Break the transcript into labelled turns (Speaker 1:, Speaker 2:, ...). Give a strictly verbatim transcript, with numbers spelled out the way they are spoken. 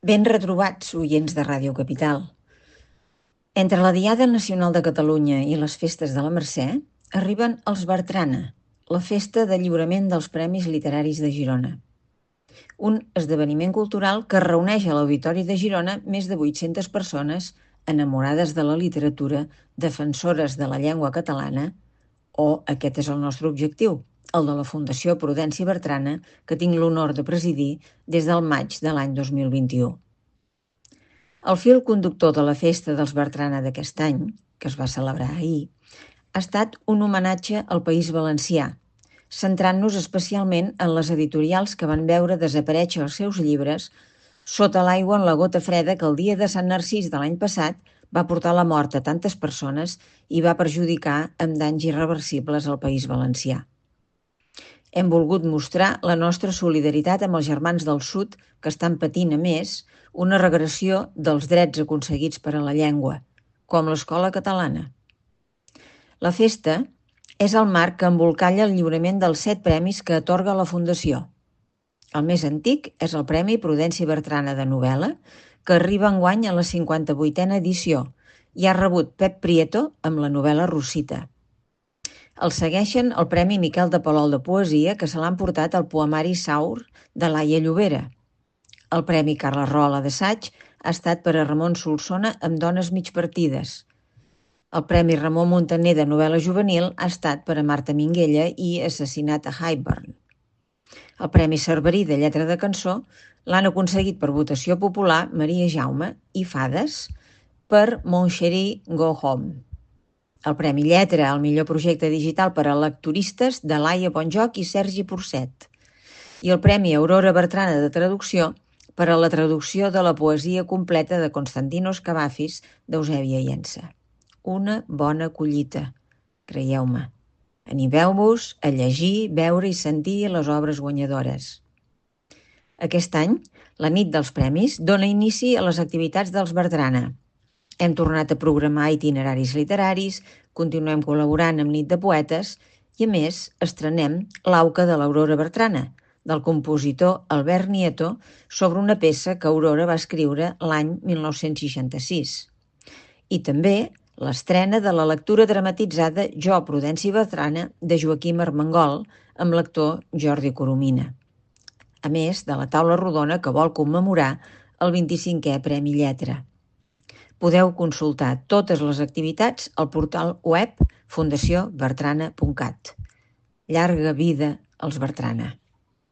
Speaker 1: Ben retrobats, oients de Ràdio Capital. Entre la Diada Nacional de Catalunya i les festes de la Mercè arriben els Bertrana, la festa de lliurament dels Premis Literaris de Girona. Un esdeveniment cultural que reuneix a l'Auditori de Girona més de vuit-centes persones enamorades de la literatura, defensores de la llengua catalana, o aquest és el nostre objectiu, el de la Fundació Prudenci Bertrana, que tinc l'honor de presidir des del maig de l'any dos mil vint-i-u. El fil conductor de la festa dels Bertrana d'aquest any, que es va celebrar ahir, ha estat un homenatge al País Valencià, centrant-nos especialment en les editorials que van veure desaparèixer els seus llibres sota l'aigua en la gota freda que el dia de Sant Narcís de l'any passat va portar la mort a tantes persones i va perjudicar amb danys irreversibles al País Valencià. Hem volgut mostrar la nostra solidaritat amb els germans del sud que estan patint, a més, una regressió dels drets aconseguits per a la llengua, com l'escola catalana. La festa és el marc que embolcalla el lliurament dels set premis que atorga la Fundació. El més antic és el Premi Prudenci Bertrana de novel·la, que arriba enguany a la cinquanta-vuitena edició i ha rebut Pep Prieto amb la novel·la Rosita. El segueixen el Premi Miquel de Palol de Poesia, que se l'ha emportat el poemari Saur de Laia Llobera. El Premi Carles Rola d'assaig ha estat per a Ramon Solsona amb Dones migpartides. El Premi Ramon Muntaner de novel·la juvenil ha estat per a Marta Minguella i Assassinat a Highburn. El Premi Cerverí de lletra de cançó l'han aconseguit per votació popular Maria Jaume i Fades per Mon Chéri Go Home. El Premi Lletra al millor projecte digital per a lectoristes de Laia Bonjoc i Sergi Porcet. I el Premi Aurora Bertrana de traducció per a la traducció de la poesia completa de Constantinos Cavafis d'Eusèbia Llença. Una bona collita, creieu-me. Animeu-vos a llegir, veure i sentir les obres guanyadores. Aquest any, la nit dels premis dona inici a les activitats dels Bertrana. Hem tornat a programar itineraris literaris, continuem col·laborant amb Nit de Poetes i, a més, estrenem l'Auca de l'Aurora Bertrana, del compositor Albert Nieto, sobre una peça que Aurora va escriure l'any mil nou-cents seixanta-sis. I també l'estrena de la lectura dramatitzada Jo, Prudenci Bertrana, de Joaquim Armengol, amb l'actor Jordi Coromina. A més de la taula rodona que vol commemorar el vint-i-cinquè Premi Lletra. Podeu consultar totes les activitats al portal web fundació bertrana punt cat. Llarga vida als Bertrana.